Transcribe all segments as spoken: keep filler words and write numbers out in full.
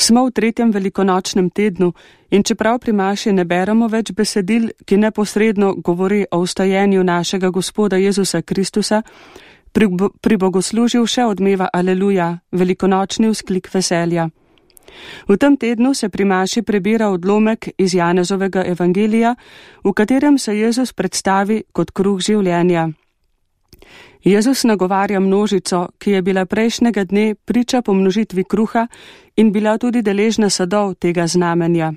Smo v tretjem velikonočnem tednu in čeprav pri maši ne beremo več besedil, ki neposredno govori o vstajenju našega Gospoda Jezusa Kristusa, pri, pri bogoslužju še odmeva Aleluja, velikonočni vzklik veselja. V tem tednu se pri maši prebira odlomek iz Janezovega evangelija, v katerem se Jezus predstavi kot kruh življenja. Jezus nagovarja množico, ki je bila prejšnjega dne priča pomnožitvi kruha in bila tudi deležna sadov tega znamenja.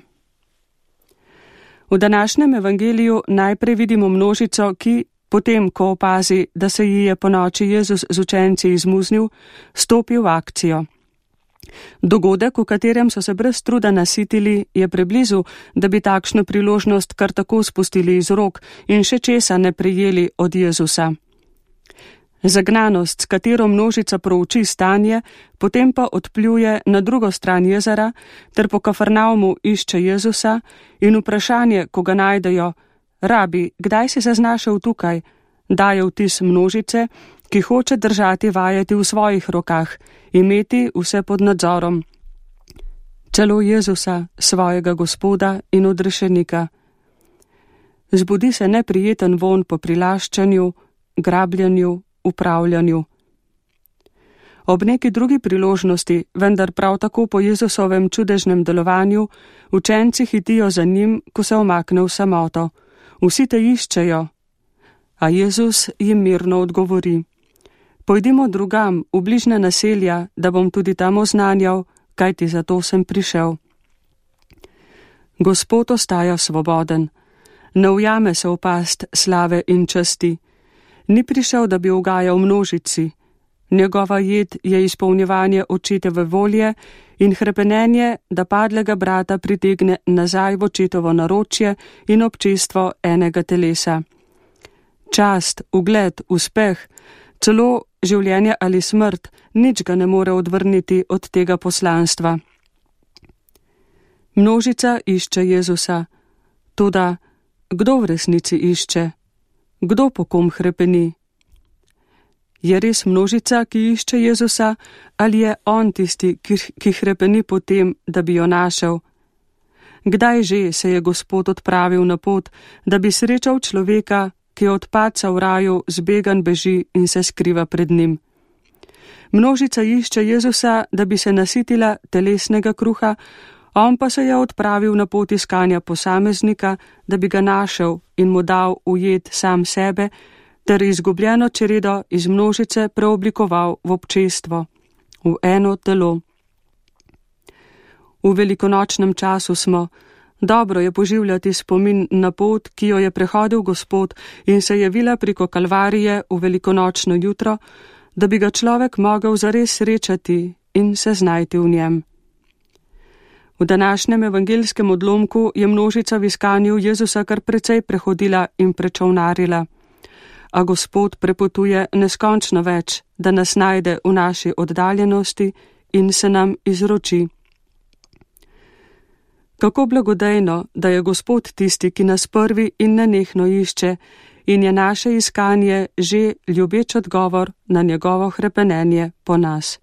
V današnjem evangeliju najprej vidimo množico, ki, potem ko opazi, da se ji je ponoči Jezus z učenci izmuznil, stopi v akcijo. Dogodek, v katerem so se brez truda nasitili, je preblizu, da bi takšno priložnost kar tako spustili iz rok in še česa ne prejeli od Jezusa. Zagnanost, s katero množica prouči stanje, potem pa odpljuje na drugo stran jezera, ter po Kafarnaumu išče Jezusa in vprašanje, ko ga najdejo, rabi, kdaj si se znašel tukaj, daje vtis množice, ki hoče držati vajeti v svojih rokah, imeti vse pod nadzorom. Celo Jezusa, svojega Gospoda in odrešenika. Zbudi se neprijeten vonj po prilaščanju, grabljanju, upravljanju. Ob neki drugi priložnosti, vendar prav tako po Jezusovem čudežnem delovanju, učenci hitijo za njim, ko se omakne v samoto. Vsi te iščejo, a Jezus jim mirno odgovori. Pojdimo drugam, v bližnja naselja, da bom tudi tam oznanjal, kajti zato sem prišel. Gospod ostaja svoboden, ne ujame se v past slave in časti. Ni prišel, da bi ugajal množici. Njegova jed je izpolnjevanje očetove volje in hrepenenje, da padlega brata pritegne nazaj v očetovo naročje in občestvo enega telesa. Čast, ugled, uspeh, celo življenje ali smrt, nič ga ne more odvrniti od tega poslanstva. Množica išče Jezusa. Toda, kdo v resnici išče? Kdo po kom hrepeni? Je res množica, ki išče Jezusa, ali je on tisti, ki, ki hrepeni po tem, da bi jo našel? Kdaj že se je Gospod odpravil na pot, da bi srečal človeka, ki od padca v raju zbegan beži in se skriva pred njim? Množica išče Jezusa, da bi se nasitila telesnega kruha, on pa se je odpravil na pot iskanja posameznika, da bi ga našel in mu dal ujet sam sebe, ter izgubljeno čredo iz množice preoblikoval v občestvo, v eno telo. V velikonočnem času smo. Dobro je poživljati spomin na pot, ki jo je prehodil Gospod in se javila preko Kalvarije v velikonočno jutro, da bi ga človek mogel zares srečati in se znajti v njem. V današnjem evangelskem odlomku je množica v iskanju Jezusa kar precej prehodila in prečovnarila. A Gospod prepotuje neskončno več, da nas najde v naši oddaljenosti in se nam izroči. Kako blagodejno, da je Gospod tisti, ki nas prvi in nenehno išče in je naše iskanje že ljubeč odgovor na njegovo hrepenenje po nas.